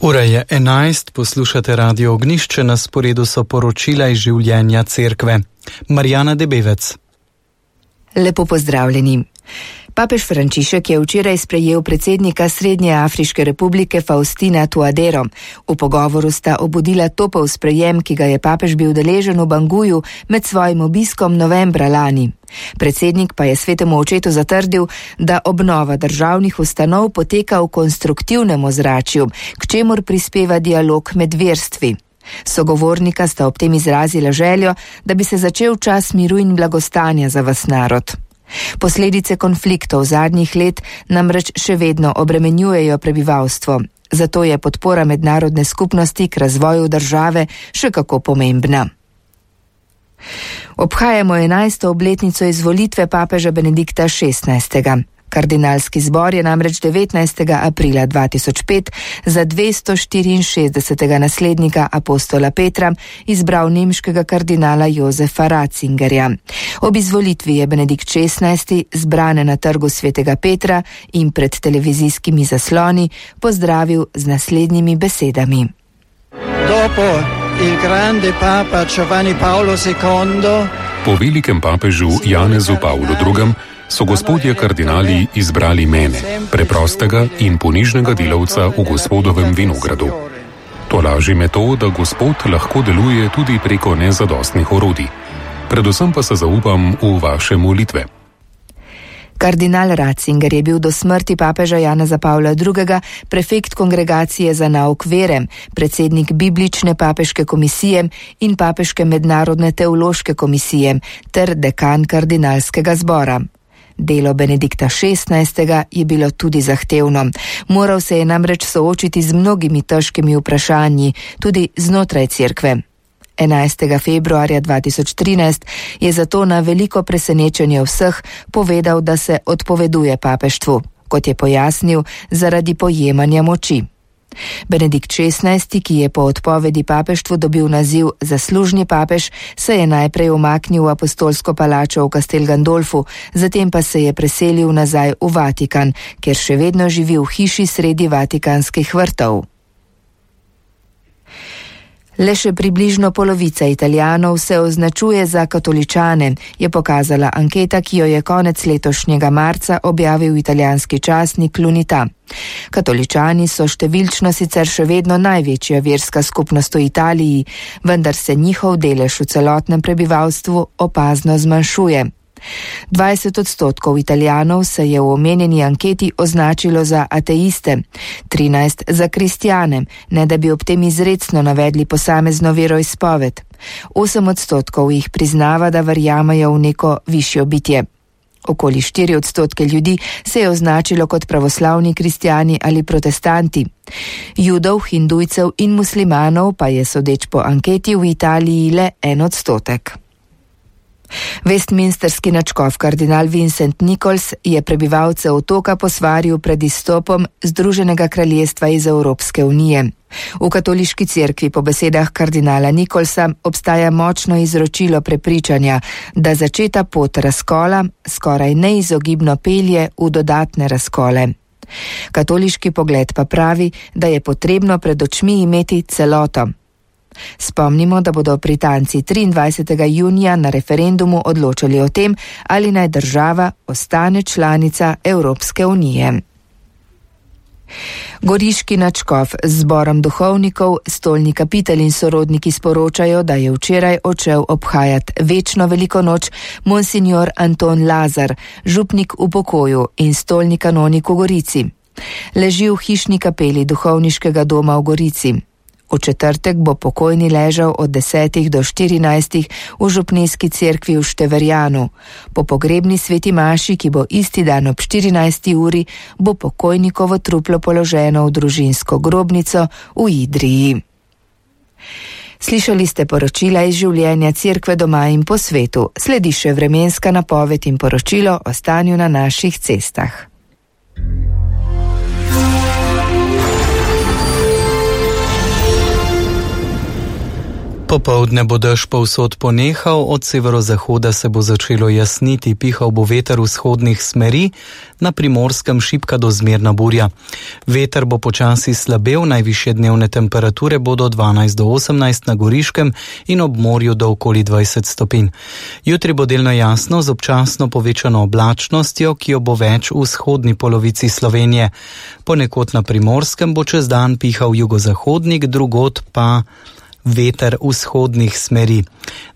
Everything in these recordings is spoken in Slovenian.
Ura je 11, poslušate Radio Ognišče, na sporedu so poročila iz življenja cerkve. Marjana Debevec. Lepo pozdravljeni. Papež Frančišek je včeraj sprejel predsednika Srednje Afriške republike Faustina Touadero. V pogovoru sta obudila topel sprejem, ki ga je papež bil deležen v Banguju med svojim obiskom novembra lani. Predsednik pa je svetemu očetu zatrdil, da obnova državnih ustanov poteka v konstruktivnem ozračju, k čemur prispeva dialog med verstvi. Sogovornika sta ob tem izrazila željo, da bi se začel čas miru in blagostanja za ves narod. Posledice konfliktov zadnjih let namreč še vedno obremenjujejo prebivalstvo, zato je podpora mednarodne skupnosti k razvoju države še kako pomembna. Obhajamo 11. obletnico izvolitve papeža Benedikta XVI. Kardinalski zbor je namreč 19. aprila 2005 za 264. naslednika apostola Petra izbral nemškega kardinala Josefa Ratzingerja. Ob izvolitvi je Benedikt XVI zbrane na trgu Svetega Petra in pred televizijskimi zasloni pozdravil z naslednjimi besedami. Dopo il grande papa Giovanni Paolo II, po velikem papežu Janezu Pavlu II so gospodje kardinali izbrali mene, preprostega in ponižnega delavca v gospodovem vinogradu. Tolaži me to, da gospod lahko deluje tudi preko nezadostnih orodij. Predvsem pa se zaupam v vaše molitve. Kardinal Ratzinger je bil do smrti papeža Janeza Pavla II. Prefekt kongregacije za nauk vere, predsednik biblične papeške komisije in papeške mednarodne teološke komisije ter dekan kardinalskega zbora. Delo Benedikta XVI. Je bilo tudi zahtevno. Moral se je namreč soočiti z mnogimi težkimi vprašanji, tudi znotraj cerkve. 11. februarja 2013 je zato na veliko presenečenje vseh povedal, da se odpoveduje papeštvu, kot je pojasnil, zaradi pojemanja moči. Benedikt XVI., ki je po odpovedi papeštvu dobil naziv zaslužni papež, se je najprej umaknil v apostolsko palačo v Castel Gandolfu, zatem pa se je preselil nazaj v Vatikan, kjer še vedno živi v hiši sredi vatikanskih vrtov. Le še približno polovica Italijanov se označuje za katoličane, je pokazala anketa, ki jo je konec letošnjega marca objavil italijanski časnik L'Unità. Katoličani so številčno sicer še vedno največja verska skupnost v Italiji, vendar se njihov delež v celotnem prebivalstvu opazno zmanjšuje. 20% Italijanov se je v omenjeni anketi označilo za ateiste, 13% za kristjane, ne da bi ob tem izrecno navedli posamezno veroizpoved. 8% jih priznava, da verjamejo v neko višjo bitje. Okoli 4% ljudi se je označilo kot pravoslavni kristjani ali protestanti. Judov, hindujcev in muslimanov pa je sodeč po anketi v Italiji le 1%. Westminsterski nadškof kardinal Vincent Nichols je prebivalce otoka posvaril pred izstopom Združenega kraljestva iz Evropske unije. V katoliški cerkvi po besedah kardinala Nicholsa obstaja močno izročilo prepričanja, da začeta pot razkola skoraj neizogibno pelje v dodatne razkole. Katoliški pogled pa pravi, da je potrebno pred očmi imeti celoto. Spomnimo, da bodo Britanci 23. junija na referendumu odločali o tem, ali naj država ostane članica Evropske unije. Goriški nadškof z zborom duhovnikov, stolni kapitel in sorodniki sporočajo, da je včeraj odšel obhajati večno veliko noč monsignor Anton Lazar, župnik v pokoju in stolni kanonik v Gorici. Leži v hišni kapeli duhovniškega doma v Gorici. V četrtek bo pokojni ležal od 10 do 14 v župnijski cerkvi v Števerjanu. Po pogrebni sveti maši, ki bo isti dan ob 14. uri, bo pokojnikovo truplo položeno v družinsko grobnico v Idriji. Slišali ste poročila iz življenja cerkve doma in po svetu. Sledi še vremenska napoved in poročilo o stanju na naših cestah. Popoldne bo dež povsod ponehal, od severozahoda se bo začelo jasniti, pihal bo veter vzhodnih smeri, na Primorskem šibka do zmerna burja. Veter bo počasi slabel, najvišje dnevne temperature bodo 12 do 18 na Goriškem in ob morju do okoli 20 stopinj. Jutri bo delno jasno z občasno povečano oblačnostjo, ki jo bo več v vzhodni polovici Slovenije. Ponekod na Primorskem bo čez dan pihal jugozahodnik, drugod pa veter vzhodnih smeri.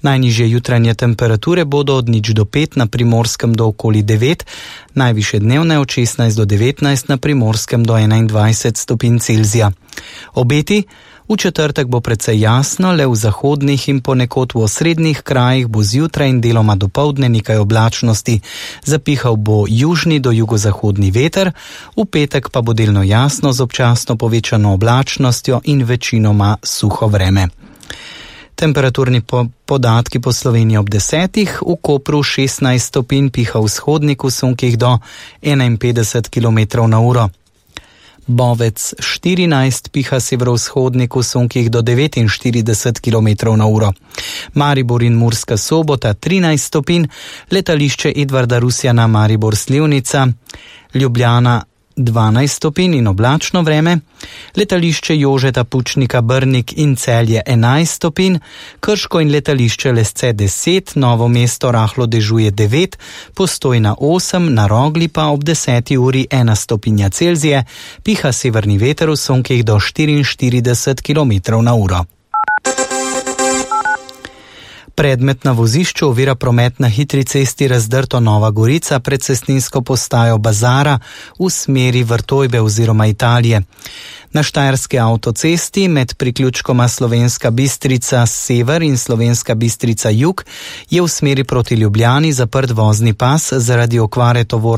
Najnižje jutranje temperature bodo od 0 do 5, na Primorskem do okoli 9, najvišje dnevne od 16 do 19, na Primorskem do 21 stopinj Celzija. Obeti: v četrtek bo precej jasno, le v zahodnih in ponekod v osrednjih krajih bo zjutraj in deloma dopoldne nekaj oblačnosti. Zapihal bo južni do jugozahodni veter, v petek pa bo delno jasno z občasno povečano oblačnostjo in večinoma suho vreme. Temperaturni podatki po Sloveniji ob 10, v Kopru 16 stopinj, piha vzhodnik v sunkih do 51 km na uro. Bovec 14, piha severovzhodnik v sunkih do 49 km na uro. Maribor in Murska Sobota 13 stopinj, letališče Edvarda Rusjana Maribor Slivnica, Ljubljana 12 stopinj in oblačno vreme, letališče Jožeta Pučnika Brnik in Celje 11 stopinj, Krško in letališče Lesce 10, Novo mesto rahlo dežuje 9, Postojna 8, na Rogli pa ob 10 uri 1 stopinja Celzije, piha severni veter v sunkih do 44 km na uro. Predmet na vozišču ovira promet na hitri cesti Razdrto Nova Gorica pred cestninsko postajo Bazara v smeri Vrtojbe oziroma Italije. Na štajerski avtocesti med priključkoma Slovenska Bistrica sever in Slovenska Bistrica jug je v smeri proti Ljubljani zaprt vozni pas zaradi okvare tovorne